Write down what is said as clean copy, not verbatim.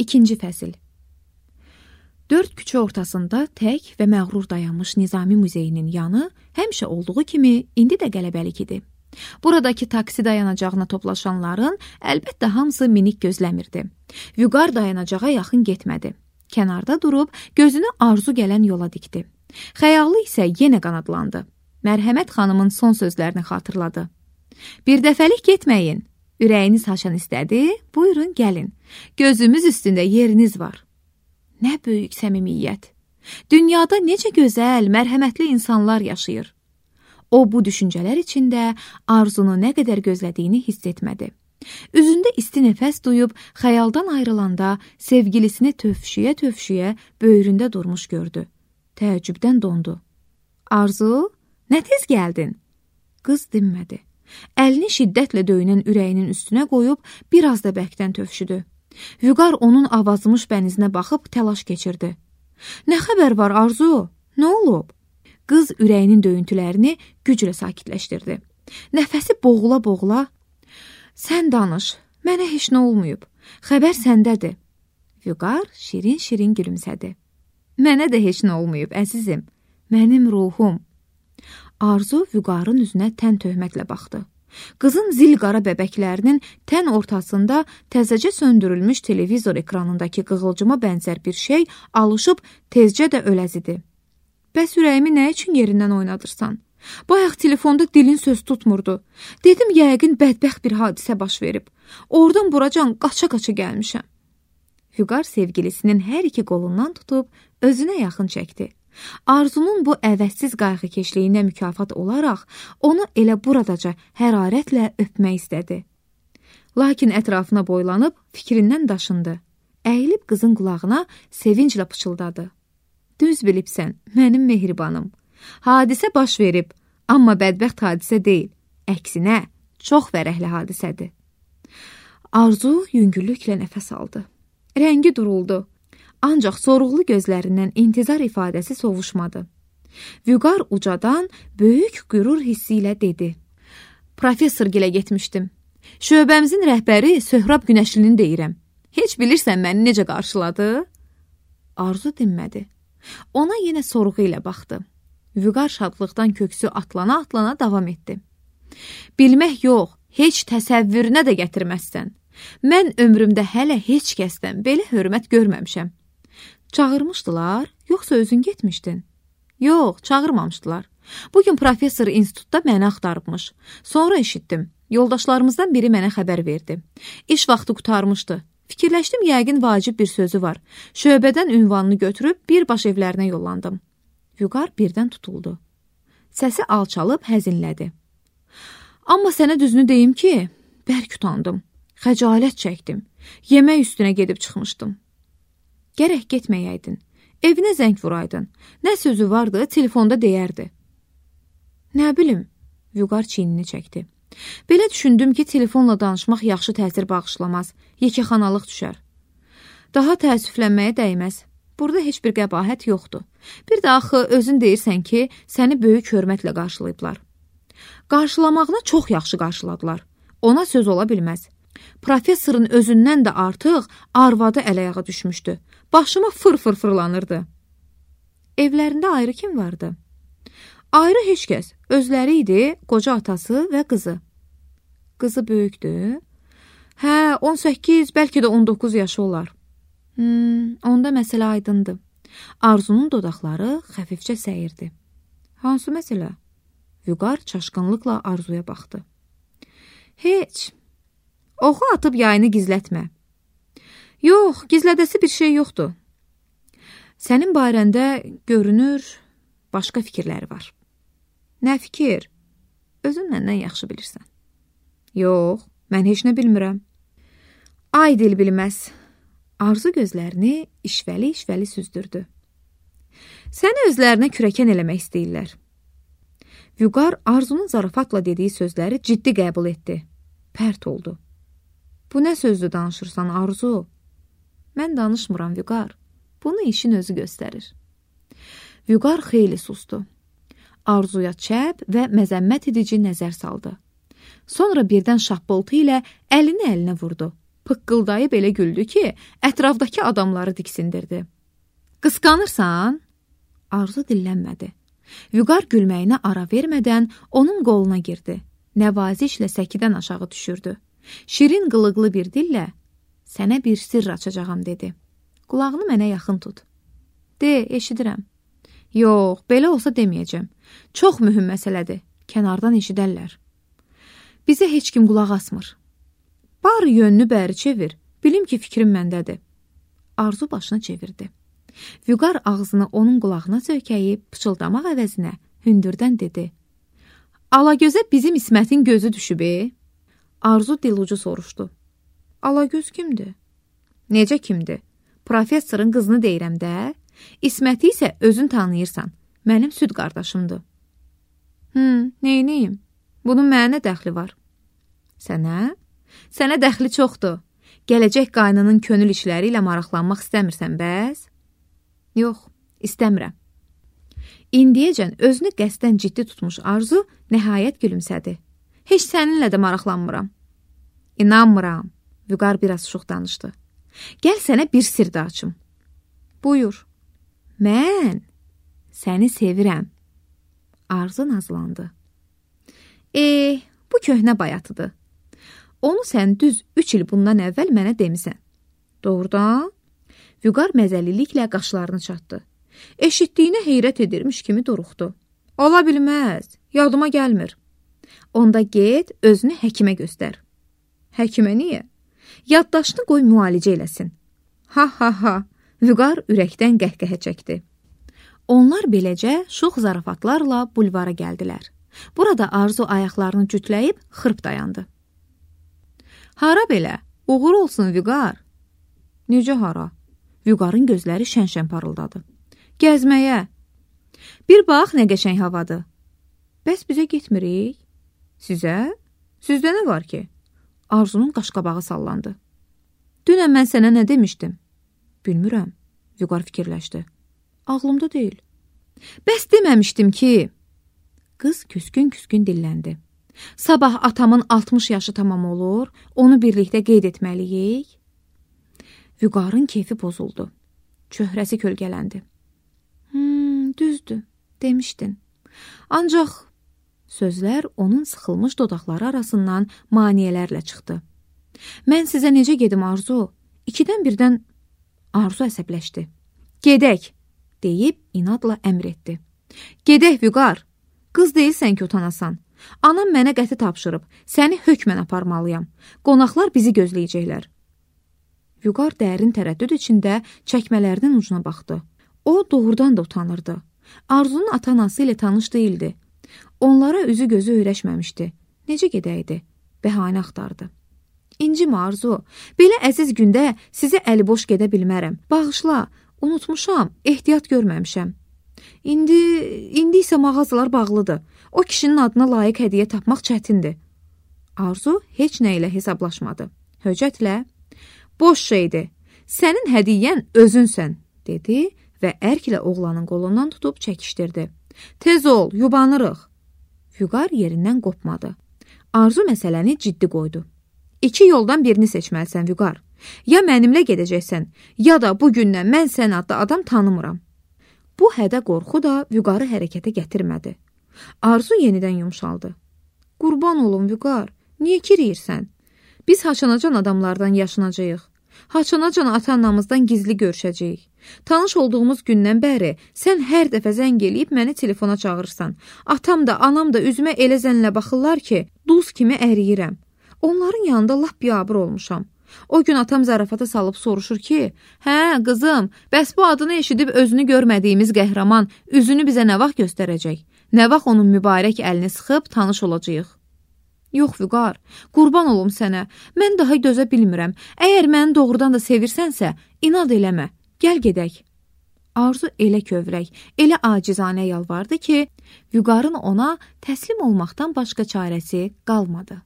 İkinci fəsil. 4 küçə ortasında tək və məğrur dayanmış Nizami Muzeyinin yanı həmişə olduğu kimi indi də qələbəlik idi. Buradakı taksi dayanacağına toplaşanların əlbəttə hamısı minik gözləmirdi. Vüqar dayanacağa yaxın getmədi. Kənarda durub gözünü arzu gələn yola dikdi. Xəyalı isə yenə qanadlandı. Mərhəmət xanımın son sözlərini xatırladı. Bir dəfəlik getməyin. Ürəyiniz haşan istədi, buyurun gəlin. Gözümüz üstündə yeriniz var. Nə böyük səmimiyyət. Dünyada necə gözəl, mərhəmətli insanlar yaşayır. O, bu düşüncələr içində Arzunu nə qədər gözlədiyini hiss etmədi. Üzündə isti nəfəs duyub, xəyaldan ayrılanda sevgilisini tövşüyə-tövşüyə böyründə durmuş gördü. Təəccübdən dondu. Arzu, nə tez gəldin? Qız dinmədi. Əlini şiddətlə döyünən ürəyinin üstünə qoyub, biraz da bərkdən tövşüdü. Vüqar onun avazımış bənizinə baxıb təlaş keçirdi. Nə xəbər var Arzu? Nə olub? Qız ürəyinin döyüntülərini güclə sakitləşdirdi. Nəfəsi boğula-boğula, sən danış, mənə heç nə olmayıb, xəbər səndədir. Vüqar şirin-şirin gülümsədi. Mənə də heç nə olmayıb, əzizim, mənim ruhum. Arzu Vüqarın üzünə tən töhmətlə baxdı. Qızın zil qara bəbəklərinin tən ortasında təzəcə söndürülmüş televizor ekranındakı qığılcıma bənzər bir şey alışıb tezcə də öləzidi. Bəs ürəyimi nə üçün yerindən oynadırsan? Bayaq telefonda dilin söz tutmurdu. Dedim, yəqin bədbəxt bir hadisə baş verib. Oradan buracan qaça-qaça gəlmişəm. Vüqar sevgilisinin hər iki qolundan tutub özünə yaxın çəkdi. Arzunun bu əvəzsiz qayğıkeşliyinə mükafat olaraq onu elə buradaca hərarətlə öpmək istədi. Lakin ətrafına boylanıb fikrindən daşındı. Əyilib qızın qulağına sevinclə pıçıldadı. Düz bilibsən, mənim mehribanım. Hadisə baş verib, amma bədbəxt hadisə deyil. Əksinə, çox fərəhli hadisədir. Arzu yüngüllüklə nəfəs aldı. Rəngi duruldu. Ancaq soruqlu gözlərindən intizar ifadəsi sovuşmadı. Vüqar ucadan böyük qürur hissi ilə dedi. Professor gilə getmişdim. Şöbəmizin rəhbəri Söhrab Günəşlinin deyirəm. Heç bilirsən məni necə qarşıladı? Arzu dinmədi. Ona yenə sorğu ilə baxdı. Vüqar şadlıqdan köksü atlana-atlana davam etdi. Bilmək yox, heç təsəvvürünə də gətirməzsən. Mən ömrümdə hələ heç kəsdən belə hörmət görməmişəm. Çağırmışdılar, yoxsa özün getmişdin? Yox, çağırmamışdılar. Bugün professor institutda məni axtarıbmış. Sonra eşitdim. Yoldaşlarımızdan biri mənə xəbər verdi. İş vaxtı qurtarmışdı. Fikirləşdim, yəqin vacib bir sözü var. Şöbədən ünvanını götürüb birbaş evlərinə yollandım. Vüqar birdən tutuldu. Səsi alçalıb həzinlədi. Amma sənə düzünü deyim ki, bərk utandım. Xəcalət çəkdim. Yemək üstünə gedib çıxmışdım. Gərək getməyəydin. Evinə zəng vuraydın. Nə sözü vardı, telefonda deyərdi. Nə bilim, Vüqar çiynini çəkdi. Belə düşündüm ki, telefonla danışmaq yaxşı təsir bağışlamaz, yekəxanalıq düşər. Daha təəssüflənməyə dəyməz. Burada heç bir qəbahət yoxdur. Bir də axı özün deyirsən ki, səni böyük hörmətlə qarşılayıblar. Qarşılamağına çox yaxşı qarşıladılar. Ona söz ola bilməz. Professorun özündən də artıq arvadı əl-ayağa düşmüşdü. Başıma fır-fır fırlanırdı. Evlərində ayrı kim vardı? Ayrı heç kəs. Özləri idi, qoca atası və qızı. Qızı böyükdür. Hə, 18, bəlkə də 19 yaşı olar. Onda məsələ aydındır. Arzunun dodaqları xəfifcə səyirdi. Hansı məsələ? Vüqar çaşqınlıqla Arzuya baxdı. Heç. Oxu atıb yayını gizlətmə. Yox, gizlədəsi bir şey yoxdur. Sənin barəndə görünür, başqa fikirləri var. Nə fikir? Özün məndən yaxşı bilirsən. Yox, mən heç nə bilmirəm. Ay dil bilməz. Arzu gözlərini işvəli-işvəli süzdürdü. Səni özlərinə kürəkən eləmək istəyirlər. Vüqar Arzunun zarafatla dediyi sözləri ciddi qəbul etdi. Pərt oldu. Bu nə sözdür danışırsan Arzu? Mən danışmıram Vüqar. Bunu işin özü göstərir. Vüqar xeyli sustu. Arzuya çəp və məzəmmət edici nəzər saldı. Sonra birdən şappıltı ilə əlini əlinə vurdu. pıqqıldayıb elə güldü ki, ətrafdakı adamları diksindirdi. Qısqanırsan? Arzu dillənmədi. Vüqar gülməyinə ara vermədən onun qoluna girdi. Nəvazişlə səkidən aşağı düşürdü. Şirin qılıqlı bir dillə, sənə bir sirr açacağam, dedi. Qulağını mənə yaxın tut. De, eşidirəm. Yox, belə olsa deməyəcəm. Çox mühüm məsələdir. Kənardan eşidərlər. Bizə heç kim qulaq asmır. Barı yönünü bəri çevir. Bilim ki, fikrim məndədir. Arzu başını çevirdi. Vüqar ağzını onun qulağına söykəyib, pıçıldamaq əvəzinə hündürdən dedi. Alagözə bizim İsmətin gözü düşüb, Arzu dilucu soruşdu. Alagöz kimdir? Necə kimdir? Professorun qızını deyirəm də. İsməti isə özün tanıyırsan. Mənim süd qardaşımdır. Neyniyim? Bunun mənə dəxli var. Sənə? Sənə dəxli çoxdur. Gələcək qaynının könül işləri ilə maraqlanmaq istəmirsən bəs? Yox, istəmirəm. İndiyəcən özünü qəsdən ciddi tutmuş Arzu nəhayət gülümsədi. Heç səninlə də maraqlanmıram. İnanmıram. Vüqar biraz şux danışdı. Gəl sənə bir sir də açım. Buyur. Mən səni sevirəm. Arzu nazlandı. Bu köhnə bayatıdır. Onu sən düz 3 il bundan əvvəl mənə demisən. Doğrudan? Vüqar məzəliliklə qaşlarını çatdı. Eşitdiyinə heyrət edirmiş kimi duruxdu. Ola bilməz, yadıma gəlmir. Onda get, özünü həkimə göstər. Həkimə niyə? Yaddaşını qoy müalicə eləsin. Ha. Vüqar ürəkdən qəhqəhə çəkdi. Onlar beləcə şux zarafatlarla bulvara gəldilər. Burada Arzu ayaqlarını cütləyib xırp dayandı. Hara belə? Uğur olsun Vüqar. Necə hara? Vüqarın gözləri şən-şən parıldadı. Gəzməyə. Bir bax, nə qəşəng havadır. Bəs bizə getmirik? Sizə? Sizdə nə var ki? Arzunun qaşqabağı sallandı. Dünən mən sənə nə demişdim? Bilmirəm. Vüqar fikirləşdi. Ağlımda deyil. Bəs deməmişdim ki... Qız küskün-küskün dilləndi. Sabah atamın 60 yaşı tamam olur, onu birlikdə qeyd etməliyik. Vüqarın keyfi pozuldu. Çöhrəsi kölgələndi. Düzdür, demişdin. Ancaq sözlər onun sıxılmış dodaqları arasından maniyələrlə çıxdı. Mən sizə necə gedim Arzu? 2-dən birdən Arzu əsəbləşdi. Gedək, deyib inadla əmr etdi. Gedək Vüqar, qız deyilsən ki utanasan. Anam mənə qəti tapşırıb, səni hökmən aparmalıyam. Qonaqlar bizi gözləyəcəklər. Vüqar dərin tərəddüd içində çəkmələrinin ucuna baxdı. O doğrudan da utanırdı. Arzunun ata-anası ilə tanış değildi. Onlara üzü gözü öyrəşməmişdi. Necə gedəydi? Bəhanə axtardı. İncimə Arzu, belə əziz gündə sizə əli boş gedə bilmərəm. Bağışla, unutmuşam, ehtiyat görməmişəm. İndi isə mağazalar bağlıdır. O kişinin adına layiq hədiyyə tapmaq çətindir. Arzu heç nə ilə hesablaşmadı. Höcətlə, boş şeydir, sənin hədiyyən özünsən, dedi və ərklə oğlanın qolundan tutub çəkişdirdi. Tez ol, yubanırıq. Vüqar yerindən qopmadı. Arzu məsələni ciddi qoydu. 2 yoldan birini seçməlisən Vüqar. Ya mənimlə gedəcəksən, ya da bugündən mən sən adlı adam tanımıram. Bu hədə qorxu da Vüqarı hərəkətə gətirmədi. Arzu yenidən yumşaldı. Qurban olun Vüqar, niyə kiriyirsən? Biz haçanacan adamlardan yaşanacağıq. Haçanacan ata-anamızdan gizli görüşəcəyik. Tanış olduğumuz gündən bəri sən hər dəfə zəng eləyib məni telefona çağırırsan. Atam da, anam da üzümə elə zənlə baxırlar ki, duz kimi əriyirəm. Onların yanında lap biabır olmuşam. O gün atam zarafata salıb soruşur ki, hə, qızım, bəs bu adını eşidib özünü görmədiyimiz qəhrəman üzünü bizə nə vaxt göstərəcək? Nə vaxt onun mübarək əlini sıxıb tanış olacağıq? Yox, Vüqar, qurban olum sənə. Mən daha dözə bilmirəm. Əgər məni doğrudan da sevirsənsə, inad eləmə. Gəl gedək. Arzu elə kövrək, elə acizanə yalvardı ki, Vüqarın ona təslim olmaqdan başqa çarəsi qalmadı.